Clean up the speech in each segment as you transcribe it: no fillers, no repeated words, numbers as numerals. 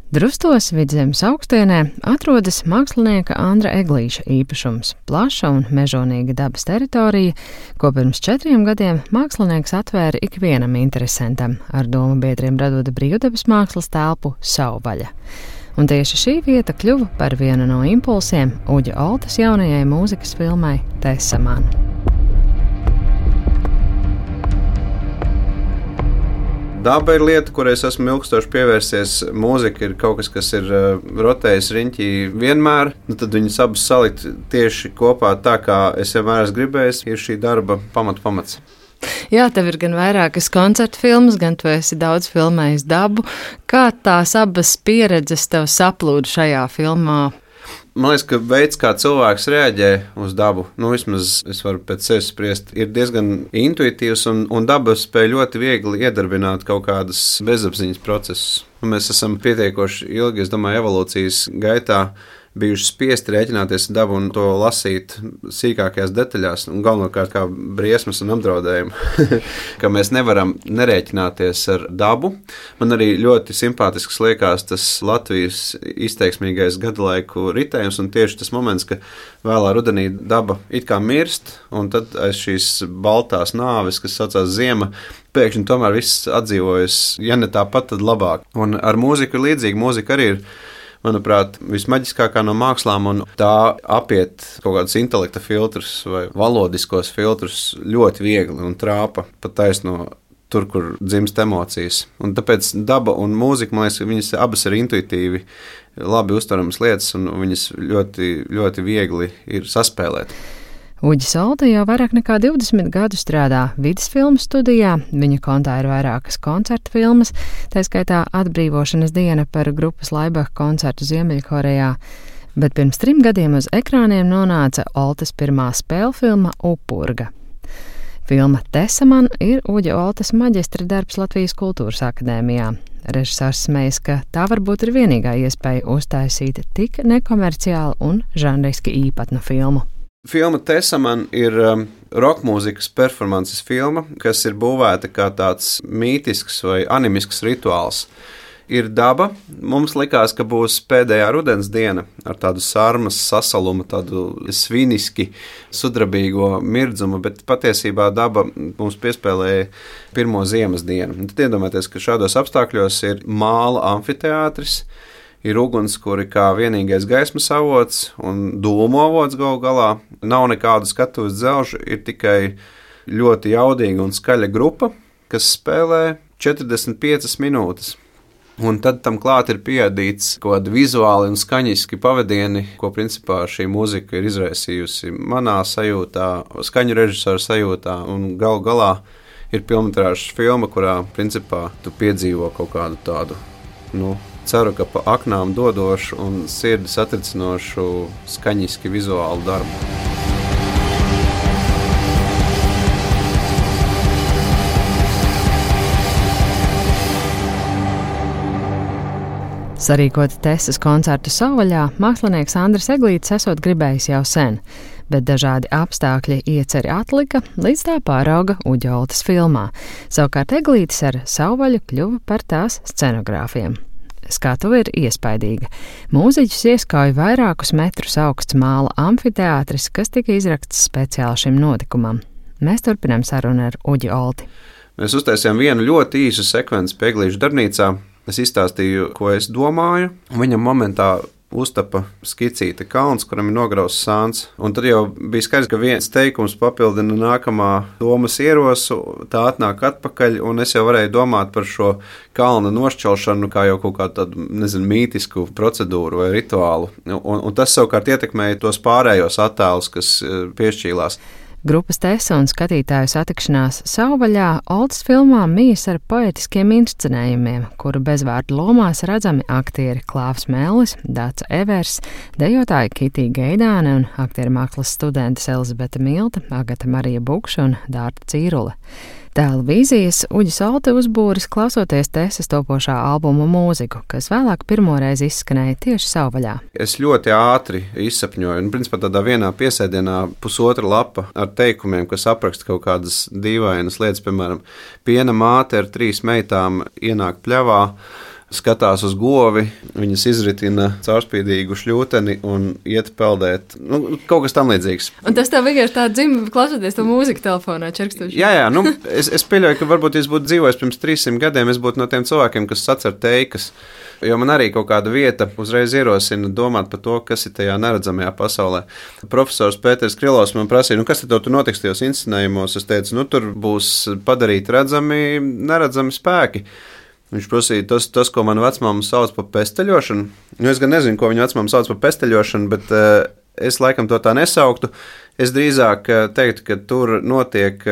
Drustos Vidzemes augstienē atrodas mākslinieka Andra Eglīša īpašums – plaša un mežonīga dabas teritorija, ko pirms 4 gadiem mākslinieks atvēra ikvienam interesantam, ar domu biedriem radot brīvdabas mākslas telpu Sauvaļa. Un tieši šī vieta kļuva par vienu no impulsiem Uģa Oltes jaunajai mūzikas filmai Tessa man. Daba ir lieta, kurai es esmu ilgstoši pievērsies. Mūzika ir kaut kas, kas ir rotējis riņķī vienmēr. Tad viņas abas salikt tieši kopā tā, kā es vienmēr esmu gribējis, ir šī darba pamats. Jā, tev ir gan vairākas koncertu filmas, gan tu esi daudz filmējis dabu. Kā tās abas pieredzes tev saplūda šajā filmā? Man liekas, ka veids, kā cilvēks reaģē uz dabu, vismaz es varu pēc sevis spriest, ir diezgan intuitīvs un daba spēj ļoti viegli iedarbināt kaut kādas bezapziņas procesus. Mēs esam pietiekoši ilgi, es domāju, evolūcijas gaitā bijuši spiesti rēķināties ar dabu un to lasīt sīkākajās detaļās, un galvenokārt kā briesmas un apdraudējumu, ka mēs nevaram nerēķināties ar dabu. Man arī ļoti simpātisks liekas tas Latvijas izteiksmīgais gadalaiku ritējums, un tieši tas moments, ka vēlā rudenī daba it kā mirst, un tad aiz šīs baltās nāves, kas saucās ziema, pēkšņi tomēr viss atdzīvojas, ja ne tāpat, tad labāk. Un ar mūziku ir līdzīgi, mūzika arī ir, manuprāt, vismaģiskākā no mākslām, un tā apiet kaut kādus intelekta filtrus vai valodiskos filtrus ļoti viegli un trāpa pat taisno tur, kur dzimst emocijas. Un tāpēc daba un mūzika, man liekas, viņas abas ir intuitīvi labi uztveramas lietas, un viņas ļoti, ļoti viegli ir saspēlēt. Uģis Olte jau vairāk nekā 20 gadu strādā vides filmu studijā, viņa kontā ir vairākas koncertu filmas, tā skaitā Atbrīvošanas diena par grupas Laibach koncertu Ziemeļkorejā, bet pirms 3 gadiem uz ekrāniem nonāca Oltes pirmā spēļu filma Upurga. Filma Tessa man ir Uģa Oltes maģistra darbs Latvijas Kultūras akadēmijā. Režisors smejas, ka tā varbūt ir vienīgā iespēja uztaisīt tik nekomerciālu un žanriski īpatnu filmu. Filma Tessa man ir rokmūzikas performances filma, kas ir būvēta kā tāds mītisks vai animisks rituāls. Ir daba. Mums likās, ka būs pēdējā rudens diena ar tādu sarmas sasalumu, tādu sviniski sudrabīgo mirdzumu, bet patiesībā daba mums piespēlēja pirmo ziemas dienu. Tad iedomājieties, ka šādos apstākļos ir māla amfiteātris, ir ugunskura kā vienīgais gaismas avots un dūmu avots galu galā. Nav nekādu skatuves dzelžu, ir tikai ļoti jaudīga un skaļa grupa, kas spēlē 45 minūtes. Un tad tam klāt ir pieadīts kaut kādi vizuāli un skaņiski pavadieni, ko principā šī mūzika ir izraisījusi manā sajūtā, skaņu režisora sajūtā, un galu galā ir pilnmetrāžas filma, kurā principā tu piedzīvo kaut kādu tādu, ceru, ka pa aknām dodošu un sirdi satricinošu skaņiski vizuālu darbu. Sarīkot Tessas koncertu Sauvaļā, mākslinieks Andris Eglītis esot gribējis jau sen, bet dažādi apstākļi ieceri atlika, līdz tā pārauga Uģa Oltes filmā. Savukārt Eglītis ar Sauvaļu kļuva par tās scenogrāfiem. Skatuve ir iespaidīga. Mūziķus ieskauj vairākus metrus augsts māla amfiteātris, kas tika izrakts speciāli šim notikumam. Mēs turpinām sarunu ar Uģi Olti. Mēs uztaisījām vienu ļoti īsu sekvenci pie Eglīša darbnīcā. Es izstāstīju, ko es domāju, un viņam momentā uztapa skicīte kalns, kuram ir nograusts sāns. Un tad jau bija skaidrs, ka viens teikums papildina nākamā domas ierosu, tā atnāk atpakaļ, un es jau varēju domāt par šo kalna nošķelšanu kā jau kaut kādu tādu, mītisku procedūru vai rituālu. Un tas savukārt ietekmēja tos pārējos attēlus, kas piešķīlās. Grupas Tessa un skatītāju satikšanās Sauvaļā Oltes filmā mijas ar poetiskiem inscenējumiem, kuru bezvārdu lomās redzami aktieri Klāvs Mellis, Dāca Evers, dejotāji Kitija Geidāne un aktieru mākslas studentes Elizabete Milta, Agata Marija Bukša un Dārta Cīrule. Tēla vīzijas Uģis Olte uzbūris klausoties Tessas topošā albuma mūziku, kas vēlāk pirmoreiz izskanēja tieši Sauvaļā. Es ļoti ātri izsapņoju, un principā tādā vienā piesēdienā 1,5 lapa ar teikumiem, kas apraksta kaut kādas dīvainas lietas, piemēram, piena māte ar 3 meitām ienāk pļavā, skatās uz govi, viņas izritina caurspīdīgu šļūteni un iet peldēt. Kaut kas tam līdzīgs. Un tas tev vienkārši tā dzimta, klausoties to mūziku telefonā, čerkstoši? Jā, es pieļauju, ka varbūt es būtu dzīvojis pirms 300 gadiem, es būtu no tiem cilvēkiem, kas sacer teikas. Jo man arī kaut kāda vieta uzreiz ierosina domāt par to, kas ir tajā neredzamajā pasaulē. Profesors Pēters Krilovs man prasīja, kas tad tur notiks tajos inscenējumos? Es teicu, tur būs padarīti redzami, neredzami spēki. Viņš prasīja, tas, ko mana vecmāma sauc par pesteļošanu. Es gan nezinu, ko viņa vecmāma sauc par pesteļošanu, bet es laikam to tā nesauktu. Es drīzāk teiktu, ka tur notiek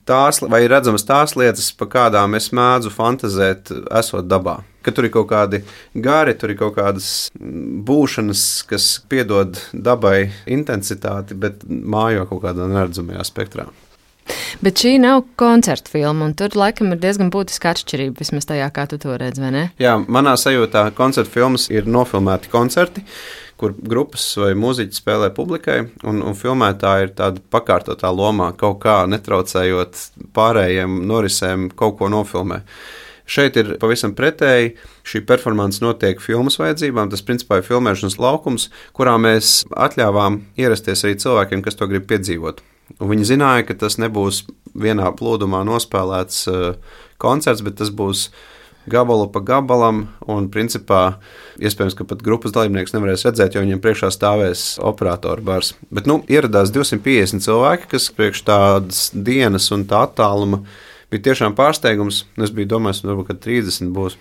tās, vai ir redzamas tās lietas, par kādām es mēdzu fantazēt, esot dabā. Ka tur ir kaut kādi gari, tur ir kaut kādas būšanas, kas piedod dabai intensitāti, bet mājo kaut kādā neredzamajā spektrā. Bet šī nav koncerta filma, un tur laikam ir diezgan būtiska atšķirība, vismaz tajā, kā tu to redz, vai ne? Jā, manā sajūtā koncerta filmas ir nofilmēti koncerti, kur grupas vai mūziķi spēlē publikai, un filmētāji ir tāda pakārtotā lomā, kaut kā netraucējot pārējiem norisēm kaut ko nofilmē. Šeit ir pavisam pretēji. Šī performance notiek filmas vajadzībām. Tas principā ir filmēšanas laukums, kurā mēs atļāvām ierasties arī cilvēkiem, kas to grib piedzīvot. Un viņi zināja, ka tas nebūs vienā plūdumā nospēlēts koncerts, bet tas būs gabalu pa gabalam, un principā iespējams, ka pat grupas dalībnieks nevarēs redzēt, jo viņiem priekšā stāvēs operatoru bars. Bet ieradās 250 cilvēki, kas priekš tādas dienas un tā attāluma bija tiešām pārsteigums. Es biju domājis, varbūt, ka 30 būs.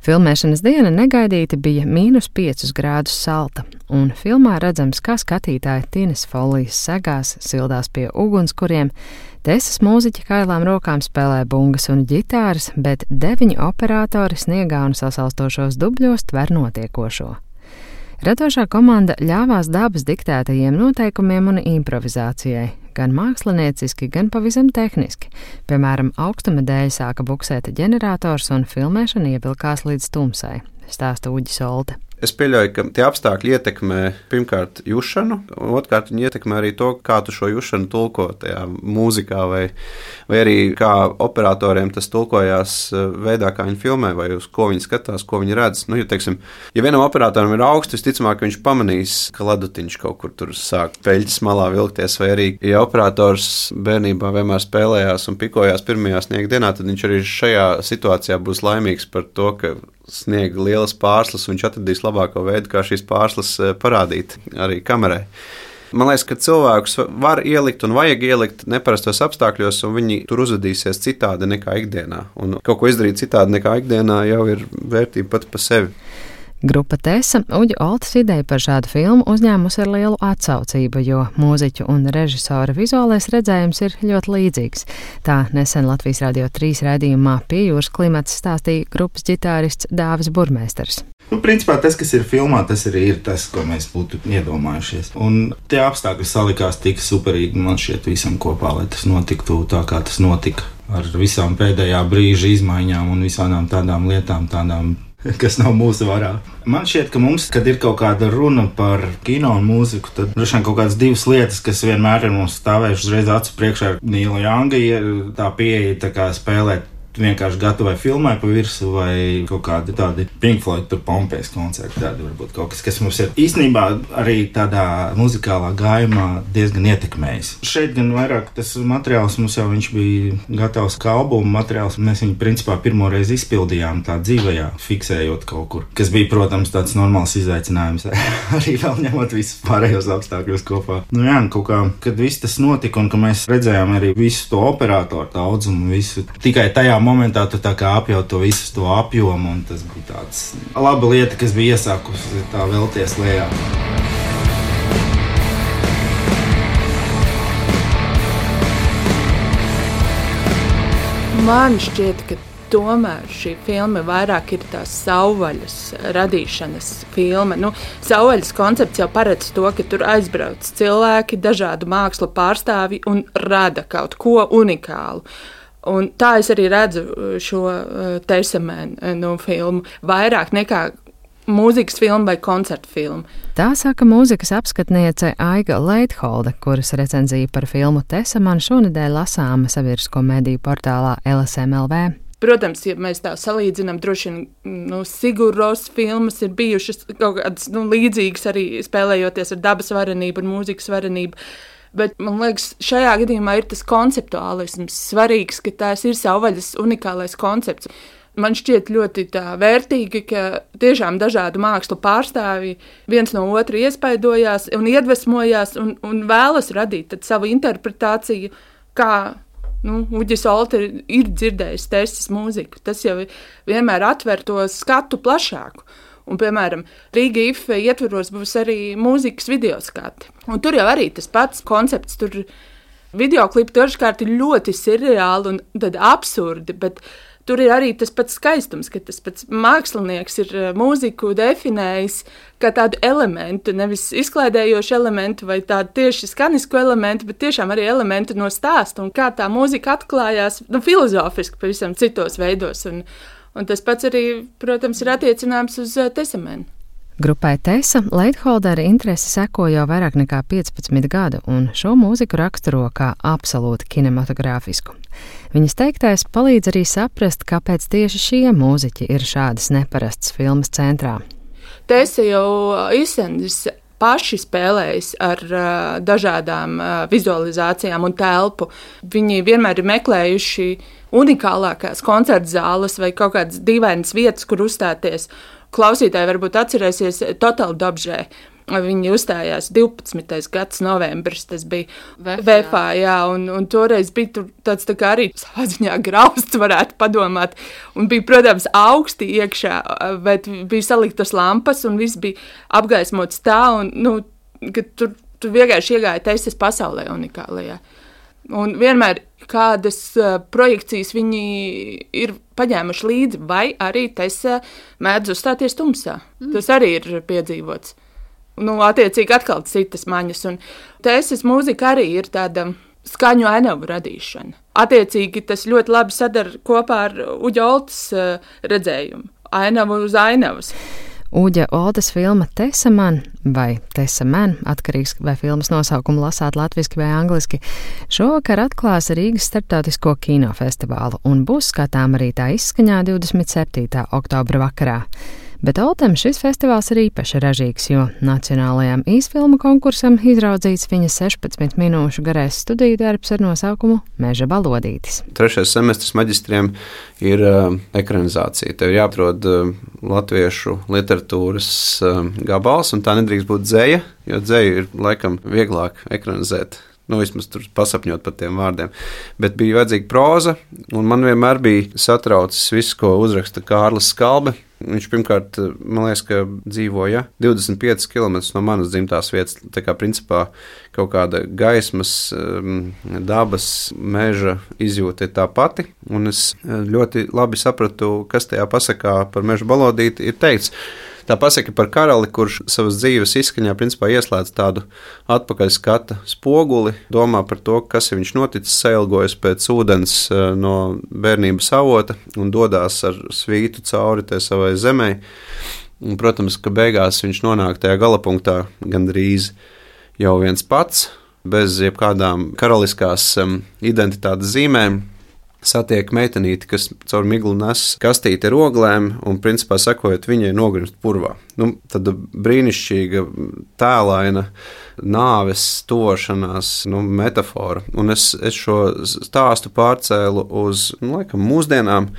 Filmēšanas diena negaidīti bija -5 grādus salta, un filmā redzams, kā skatītāji Tines folijas segās, sildās pie ugunskuriem, Tesas mūziķi kailām rokām spēlē bungas un ģitāras, bet 9 operatori sniegā un sasalstošos dubļos tver notiekošo. Radošā komanda ļāvās dabas diktētajiem noteikumiem un improvizācijai, gan mākslinieciski, gan pavisam tehniski. Piemēram, augstuma dēļ sāka buksēt ģenerators un filmēšana ievilkās līdz tumsai, stāsta Uģis Olte. Es pieļauju, ka tie apstākļi ietekmē pirmkārt jušanu, un otrkārt viņi ietekmē arī to, kā tu šo jušanu tulko tajā mūzikā, vai arī kā operatoriem tas tulkojās veidā, kā viņi filmē, vai uz ko viņi skatās, ko viņi redz. Ja vienam operatoram ir augsts, visticamāk, viņš pamanīs, ka ledutiņš kaut kur tur sāk peļķes malā vilkties, vai arī, ja operators bērnībā vienmēr spēlējās un pikojās pirmajā sniega dienā, tad viņš arī šajā situācijā būs laimīgs par to, ka sniega lielas pārslas, un viņš atradīs labāko veidu, kā šīs pārslas parādīt arī kamerai. Man liekas, ka cilvēkus var ielikt un vajag ielikt neparastos apstākļos, un viņi tur uzvedīsies citādi nekā ikdienā. Un kaut ko izdarīt citādi nekā ikdienā jau ir vērtība pat pa sevi. Grupa Tesa Uģa Oltes ideju par šādu filmu uzņēmusi ar lielu atsaucību, jo mūziķu un režisora vizuālais redzējums ir ļoti līdzīgs. Tā nesen Latvijas Radio 3 raidījumā Pie jūras klimats stāstīja grupas ģitārists Dāvis Burmeisters. Principā tas, kas ir filmā, tas arī ir tas, ko mēs būtu iedomājušies. Un tie apstākļi salikās tik superīgi man šķiet visam kopā, lai tas notiktu tā, kā tas notika. Ar visām pēdējā brīža izmaiņām un visām tādām lietām, kas nav mūsu varā. Man šķiet, ka mums, kad ir kaut kāda runa par kino un mūziku, tad droši vien kaut kādas divas lietas, kas vienmēr ir mums stāvējušas uzreiz acu priekšā. Nīla Janga ir tā pieeja tā kā spēlēt vienkārši gatavai filmai pa virsu, vai kaut kādi tādi Pink Floyd, tur Pompejas koncerti, tādi varbūt kaut kas mums ir īstenībā arī tādā muzikālā gājumā diezgan ietekmējis. Šeit gan vairāk tas materiāls mums jau viņš bija gatavs kā albuma materiāls, mēs viņu principā pirmoreiz izpildījām tā dzīvajā, fiksējot kaut kur, kas bija, protams, tāds normāls izaicinājums, arī vēl ņemot visus pārējos apstākļus kopā. Kaut kā, kad viss tas notika un ka mēs redzējām arī visu to operatoru daudzumu, visu tikai tajā momentā tu tā kā apjaut to visu to apjomu, un tas bija tāds laba lieta, kas bija iesākusi tā vēlties lejā. Man šķiet, ka tomēr šī filma vairāk ir tās savvaļas radīšanas filma. Savvaļas koncepts jau paredz to, ka tur aizbrauc cilvēki, dažādu mākslu pārstāvji un rada kaut ko unikālu. Un tā es arī redzu šo Teisamēnu filmu vairāk nekā mūzikas filmu vai koncertu filmu. Tā saka mūzikas apskatniece Aiga Leitholde, kuras recenzija par filmu Teisamēnu šonedēļ lasāma sabiedrisko mediju portālā LSM.LV. Protams, ja mēs tā salīdzinām, droši vien Siguros filmas ir bijušas kaut kādas līdzīgas arī spēlējoties ar dabas varenību un mūzikas varenību. Bet man liekas, šajā gadījumā ir tas konceptuālisms svarīgs, ka tās ir savvaļas unikālais koncepts. Man šķiet ļoti vērtīgi, ka tiešām dažādu mākslu pārstāvji viens no otru iespaidojās un iedvesmojās un vēlas radīt savu interpretāciju, kā Uģis Olte ir dzirdējis Tesas mūziku. Tas jau vienmēr atver to skatu plašāku. Un, piemēram, Rīga IFE ietvaros būs arī mūzikas videoskati. Un tur jau arī tas pats koncepts. Tur videoklipi dažkārt ir ļoti seriāli un tad absurdi, bet tur ir arī tas pats skaistums, ka tas pats mākslinieks ir mūziku definējis kā tādu elementu, nevis izklaidējošu elementu vai tādu tieši skanisku elementu, bet tiešām arī elementu no stāsta un kā tā mūzika atklājās filozofiski pavisam citos veidos. Un tas pats arī, protams, ir attiecināms uz Tesamenu. Grupai Tesa Leitholdera interesi seko jau vairāk nekā 15 gadu, un šo mūziku raksturo kā absolūti kinematogrāfisku. Viņas teiktais palīdz arī saprast, kāpēc tieši šie mūziķi ir šādas neparastas filmas centrā. Tesa jau izsendis paši spēlējis ar dažādām vizualizācijām un telpu. Viņi vienmēr ir meklējuši unikālākās koncerta zāles vai kaut kādas dīvainas vietas, kur uzstāties. Klausītāji varbūt atcerēsies Total Dobžē. Viņi uzstājās 12. gads novembris, tas bija Vēfā, jā, un toreiz bija tāds tā kā arī savā ziņā grausts, varētu padomāt, un bija, protams, augsti iekšā, bet bija saliktas lampas, un viss bija apgaismots tā, un, ka tur vienkārši iegāja Tesas pasaulē unikālajā. Un vienmēr kādas projekcijas viņi ir paņēmuši līdzi, vai arī Tesa mēdz uzstāties tumsā. Tas arī ir piedzīvots. Attiecīgi atkal citas maņas. Un Tesas mūzika arī ir tāda skaņu ainavu radīšana. Attiecīgi tas ļoti labi sadara kopā ar Uģa Oltes redzējumu. Ainavu uz ainavas. Uģa Oltes filma Tesaman vai Tesamen, atkarīgs vai filmas nosaukumu lasāt latviski vai angliski, šovakar atklās Rīgas starptautisko kinofestivālu un būs skatām arī tā izskaņā 27. oktobra vakarā. Bet Oltem šis festivāls ir īpaši ražīgs, jo nacionālajām īsfilmu konkursam izraudzīts viņa 16 minūšu garais studiju darbs ar nosaukumu Meža balodītis. 3. semestris maģistriem ir ekranizācija. Tev ir jāatrod latviešu literatūras gabals, un tā nedrīkst būt dzeja, jo dzeju ir laikam vieglāk ekranizēt. Vismaz tur pasapņot par tiem vārdiem. Bet bija vajadzīga proza, un man vienmēr bija satraucis viss, ko uzraksta Kārlis Skalbe. Viņš pirmkārt, man liekas, ka dzīvoja 25 km no manas dzimtās vietas. Tā kā principā kaut kāda gaismas, dabas, meža izjūta ir tā pati. Un es ļoti labi sapratu, kas tajā pasakā par Meža balodīti ir teikts. Tā pasaka par karali, kurš savas dzīves izskaņā principā ieslēdz tādu atpakaļskata spoguli, domā par to, kas ir viņš noticis, sailgojas pēc ūdens no bērnības avota un dodās ar svītu cauri tai savai zemē. Un, protams, ka beigās viņš nonāk tajā galapunktā gandrīz jau viens pats, bez jebkādām karaliskās identitātes zīmēm. Satiek meitenīti, kas caur miglu nes kastīti ar oglēm un, principā, sekojot viņai nogrimst purvā. Tad brīnišķīga, tēlaina nāves tuvošanās metafora. Un es šo stāstu pārcēlu uz, laikam, mūsdienām,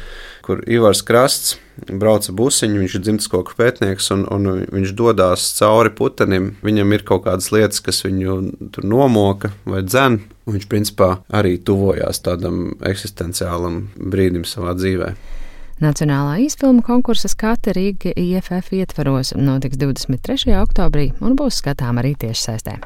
kur Ivars Krasts brauca busiņu, viņš ir dzimteskoku pētnieks, un viņš dodās cauri putenim. Viņam ir kaut kādas lietas, kas viņu tur nomoka vai dzen, un viņš, principā, arī tuvojās tādam eksistenciālam brīdim savā dzīvē. Nacionālā īsfilmu konkursa skate Rīga IFF ietvaros notiks 23. oktobrī un būs skatām arī tiešsaistē.